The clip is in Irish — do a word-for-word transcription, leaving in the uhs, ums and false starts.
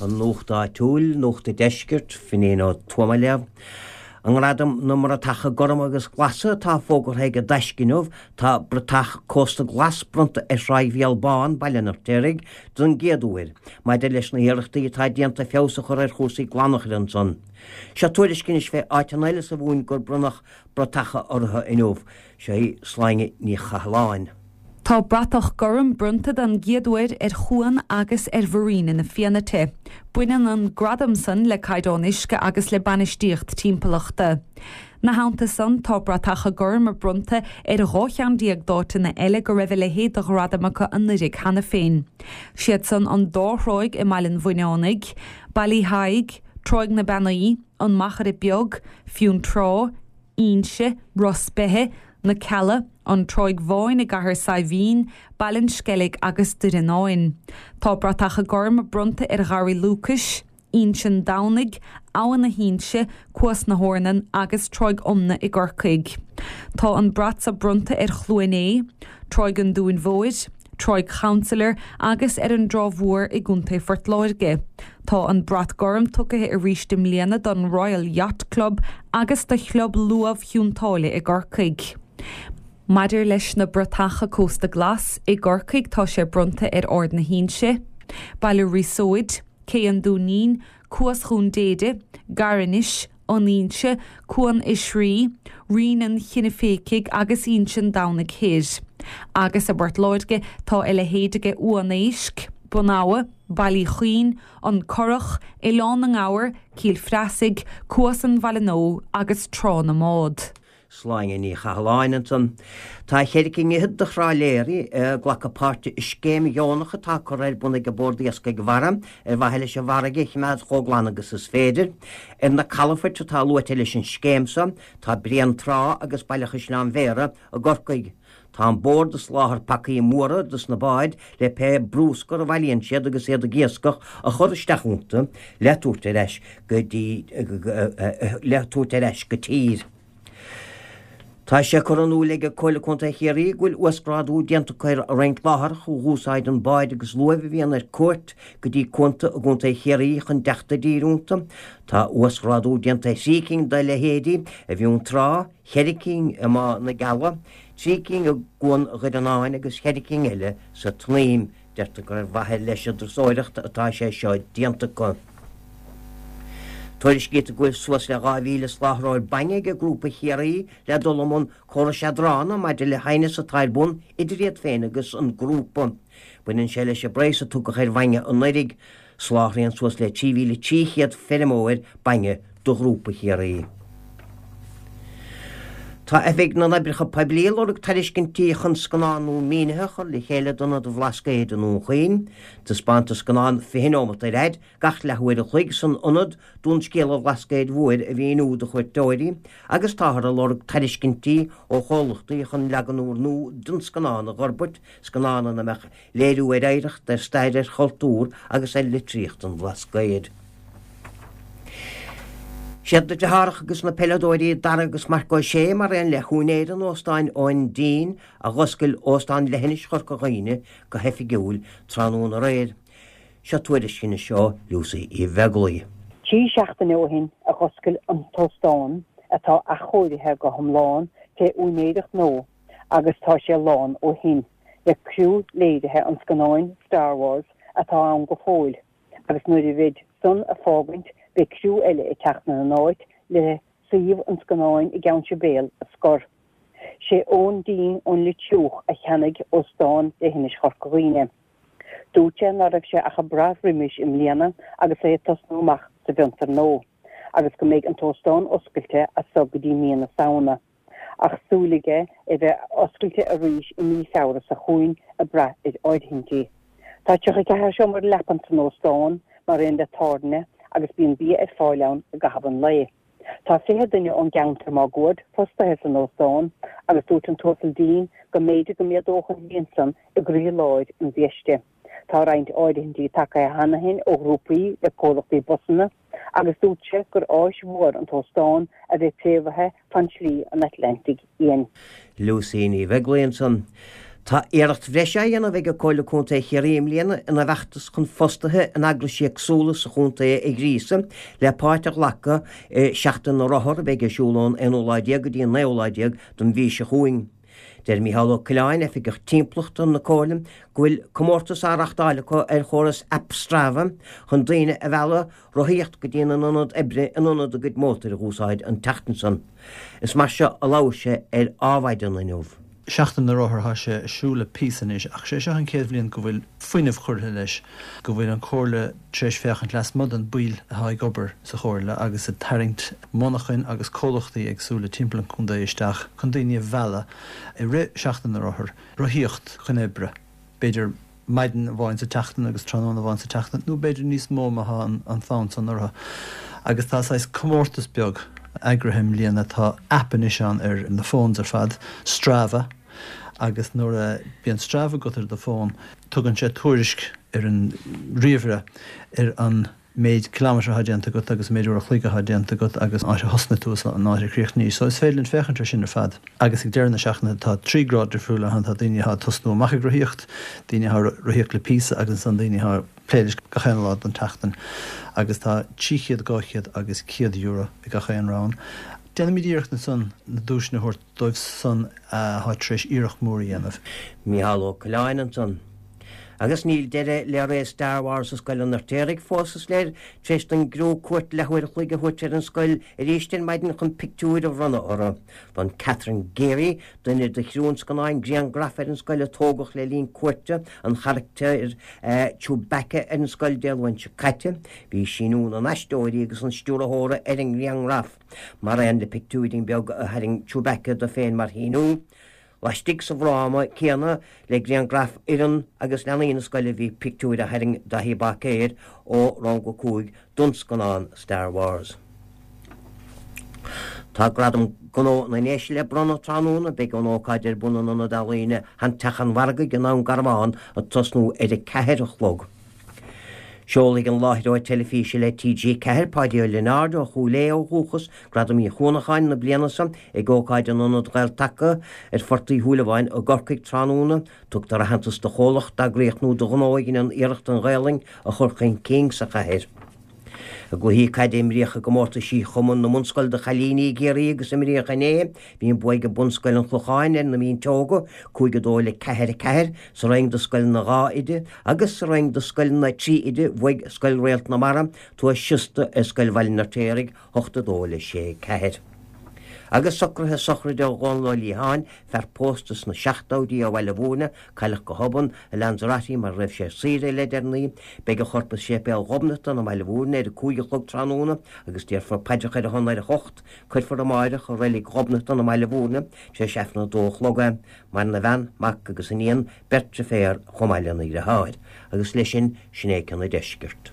An Nuacht Áitiúil, Nuacht an Deiscirt, Fineen Ó Tuama ag léamh. I nGradaim na mBratacha Gorma agus Glasa atá fógartha ag an dTaisce inniu, tá bratach Cósta Glas bronnta ar Thráigh Bhéal Bán, Baile an Fheirtéaraigh, don gcéad uair, maidir leis na hiarrachtaí atá déanta feabhas a chur ar chúrsaí glanachair ansan. Seo tuairisc anois fé áiteanna eile sa Mhumhain gur bronnadh bratacha orthu inniu. Seo í Sláine Ní Chathalláin. Tá bratach gorm bronnta den gcéad uair ar chuan agus ar Mharina na Fianaite. Baineann an gradam san le caighdeán uisce agus le bainistíocht timpeallachta. Ina theannta san tá bratacha gorma bronnta ar dhá cheann déag d'áiteanna eile go raibh a leithéid de ghradam acu anuraidh cheana féin. Siad san an dá thráigh i mBaile an Bhuinneánaigh, Baile Thaidhg, Tráigh na Beannaí, an Machaire Beag, Fionntrá, Inse, Ros Beithe, na Cealla, an Tráigh Bháin i gCathair Saidhbhín, Baile an Sceilg agus Doire Náin. Tá bratacha gorma bronnta ar Gharraí Lúcais, Inse Domhnaigh, Abha na hInse, Cuas na hOrnan agus Tráigh Omna i gCorcaigh. Tá an brat seo bronnta ar Chluain Aodha, Tráigh an Dúin Mhóir, Tráigh Chancellor agus ar an dTrá Mhór i gContae Phort Láirge. Tá an brat gorm tugtha arís i mbliana don Royal Yacht Club agus do Chlub Luamh Chionn tSáile i gCorcaigh. Maidir leis na bratacha Cósta Glas i gCorcaigh tá sé bronnta ar Ard na hInse, Baile Ríosóid, Cé an Dúinín, Cuas Dhún Déide, Garinis, an Inse, Cuan Oisrí, Rinn an Chinneféicigh agus Inse an Domhnaigh Thoir. Agus i bPort Láirge tá a leithéid aige Uan Éisc, Bun Abha, Baile Uí Chuinn, an Currach, Oileán na nGabhar, Cill Phreasaigh, Cuas an Bhaile Nua agus Trá na mBád. Sláine Ní Chathalláin ansan. Tá ceithre cinn fhichead de thrálaeirí ag glacadh páirte i scéim dheonach atá curtha ar bun ag an Bord Iascaigh Mhara ar mhaithe leis an bhfarraige a choimeád chomh glan agus is féidir. Ar na calafoirt atá luaite leis an scéim seo tá Bréantrá agus Baile Chaisleáin Bhéarra i gCorcaigh. Tá an bord ag soláthar pacaí móra dos na báid le pé brúscar a bhailíonn siad agus iad ag iascach a chur isteach iontu le tabhairt ar ais go dtí le tabhairt ar ais go tír. Tá sé curtha in iúl ag Comhairle Contae Chiarraí go bhfuil uasghrádú déanta acu ar roinnt láithreach a dh'úsáideann báid agus luaimh a bhíonn ar cuairt go dtí cuanta i gContae Chiarraí chun teacht i dtír iontu. Tá uasghrádú déanta ar thrí cinn dá leithéidí i bhFionntrá, cheithre cinn i mBá na gCealla, trí cinn i gCuan Dhoire agus cheithre cinn eile sa tSnaidhm. Deirtear gur ar mhaithe leis an dturasóireacht atá sé seo déanta acu. Tuairiscítear go bhfuil suas le dhá mhíle soláthróir bainne ag Grúpa Chiarraí le dul i mbun córais eadrána maidir le haighneas atá ar bun idir iad féin agus an grúpa. Baineann sé leis an bpraghas a tugadh ar bhainne anuraidh. Soláthraíonn suas le trí mhíle trí chéad feirmeoir bainne do Ghrúpa Chiarraí. Tá Oifig na nOibreacha Poiblí ag lorg tairiscintí chun scannán nua mínithe a chur le chéile d'Ionad an Bhlascaoid i nDún Chaoin. Taispeántar scannán fiche neomat ar fhad gach leathuair a chloig san ionad d'fhonn scéal an Bhlascaoid Mhóir a mhíniú do chuairteoirí agus táthar ag lorg tairiscintí ó chomhlachtaí chun leagan úrnua den scannán a fhorbairt, scannán ina mbeadh léiriú ar oidhreacht, ar stair, ar chultúr agus ar litríocht an Bhlascaoid. Siad na deartháireacha agus na peileadóirí Dara agus Marc Ó Sé mar aon le húinéir an óstáin Eoin Dean a dh'oscail Óstán Leithinis Chorca Dhuibhne go hoifigiúil tráthnóna aréir. Seo tuairisc anois ó Lucy Uí Bheaglaoi. Trí seachtaine ó shin a dh'oscail an t-óstán atá athchóirithe go hiomlán fé úinéireacht nua agus tá sé lán ó shin le criú léirithe an scannáin Star Wars atá ann go fóill agus nuair a bheid san ag fágaint beidh criú eile ag teacht ina n-áit le suíomh an scannáin i gCeann Sibéal a scor. Sé Eoin Dean ón Leitriúch a cheannaigh Óstán Leithinis Chorca Dhuibhne. Dúirt sé ná raibh sé ach ag brath roimis i mbliana agus é ag tosnú amach sa bhfiontar nua agus go mbeidh an t-óstán oscailte as so go dtí mí na Samhna. Ach súil aige é bheith oscailte arís i mí Feabhra seo chugainn ag brath ar áirithintí. Tá tríocha ceathair seomra leapan san óstán, mar aon le tábhairne, agus bíonn bia ar fáil ann i gcaitheamh an lae. Tá fiche duine ón gceantar máguaird fostaithe san óstán agus dúirt an tUasal Dean go mb'fhéidir go méadódh an líon san i gcroí-lár an bhiaiste. Tá roinnt áirithintí tagtha cheana féin ó ghrúpaí le comhlachtaí busanna agus dúirt sé gur áis mhór an t-óstán a bheith préamhaithe fan Slí an Atlantaigh Fhiáin. Lucy Ní Bheaglaoi ansan. Tá iarracht bhreise á dhéanamh ag Comhairle Contae Chiarraí i mbliana ina bhfeachtas chun fostaithe in eagraisí éagsúla sa chontae a ghríosadh le páirt a ghlacadh i Seachtain na Rothar a bheidh ar siúl ón aonú lá déag go dtí an naoú lá déag den mhí seo chugainn. Deir Micheál Ó Coileáin, Oifigeach Timpeallachta na Comhairle, go bhfuil comórtas á reáchtáil acu ar chóras aip Strava chun daoine a mhealladh rothaíocht go dtí an ionad oibre in ionad a gcuid mótair a úsáid an tseachtain san. Is mar seo a labhair sé ar Adhmhaidin inniu. Seachtain na Rothar tá sé ar siúl le píosa anois ach sé seo an chéad bhliain go bhfuil fuinneamh curtha leis, go bhfuil an Chomhairle tar éis féachaint lasmuigh den bhaill atá ag obair sa chomhairle agus ag tarraingt monarchana agus comhlachtaí éagsúla timpeall an chontae isteach chun daoine a mhealladh i rith Seachtain na Rothar, rothaíocht chun oibre. B'fhéidir maidin amháin sa tseachtain agus tráthnóna amháin sa tseachtain nó b'fhéidir níos mó má tá an fonn san orthu. Agus tá saghas comórtas beag eagraithe i mbliana tá aip anois ann ar na phones ar fad, Strava, agus nuair a bhíonn Strava agat ar do fón, tugann sé tuairisc ar an ríomhaire ar an méid kilometre atá déanta agat agus méid uair a chloig atá déanta agat agus áit a thosnaigh tú an áit a chríochnaigh. So is féidir linn féachaint ar sin ar fad. Agus ag deireadh na seachtaine tá trí grád difriúla ann tá daoine atá tosnú amach ag rothaíocht, daoine atá rothaíocht le píosa agus an daoine atá plé leis gach aon lá den tseachtain. Agus tá trí chéad dhá chéad agus céad euro ag gach aon rang. Déanaimid iarracht ansan na duaiseanna a thabhairt dóibh san atá tar éis iarracht mór a dhéanamh. Micheál Ó Coileáin ansan. Agus níl deireadh le ré Star Wars i Scoil an Fheirtéaraigh fós is léir tar éis don gcriú cuairt leathuair a chloig a thabhairt ar an scoil arís ar maidin chun pictiúir a bhronnadh orthu. Bhronn Catherine Geary, duine de chriú an scannáin grianghraf ar an scoil a tógadh le linn cuairte an charachtair Chewbacca ar an scoil Dé Luain seo caite, bhí síniú na n-aisteoirí agus an stiúrthóra ar an ngrianghraf, mar aon le pictiúirín beag a tharraing Chewbacca dó féin mar shíniú. Laistigh sa bhfráma céanna le grianghraf fhoireann agus leanaí na scoile bhí pictiúir a tharraing Daithí Báicéir ó rang a cúig don scannán Star Wars. Tá gradam gnó na nDéise le bronnadh tráthnóna beidh an ócáid ar bun in Ionad Ealaíne Sheanteach an Mhargaidh i nDún Garbhán ag tosnú ar a ceathair a chlog. Seolfaidh an láithreoir teilifíse le TG Ceathair Páidí Ó Lionáird ó Chúil Aodha ó dhúchas Gradam Uí Chuanacháin na bliana seo ag ócáid in Ionad Ghael-Taca ar Phort Uí Shúilleabháin i gCorcaigh tráthnóna, tugtar aitheantas do chomhlacht d'eagraíocht nó do ghnó a dhéanann iarracht an Ghaelainn a chur chun cinn sa chathair. I gcluichí caide a imríodh i gcomórtaisí Chumann na mBunscol do chailíní i gCiarraí agus imríodh inné, bhí an bua ag Bunscoil an Chlocháin ar na Mínteoga, cúig a dó le ceathair a ceathair, sa roinn do scoileanna dhá oide, agus sa roinn do scoileanna trí oide bhuaigh Scoil Réalt na Mara, Tuath Siosta ar Scoil Bhaile an Fheirtéaraigh, hocht a dó le sé ceathair. Agus socruithe sochraide Dhónal Ó Liatháin, fear pósta sna seachtóidí ó Bhaile Mhúirne, cailleadh go hobann i Lanzarote mar a raibh sé ar saoire le deireanaí. Beidh a chorp i Séipéal Ghobnatan i mBaile Mhúirne ar a cúig a chlog tráthnóna agus déarfar paidreacha ar a shon ar a hocht. Cuirfear amáireach i reilig Ghobnatan i mBaile Mhúirne tar éis Aifreann a dó a chlog é. Maireann a bhean, mac agus iníon, beirt deirféar chomh maith lena dheartháir. Agus leis sin, sin é Ceann an Deiscirt.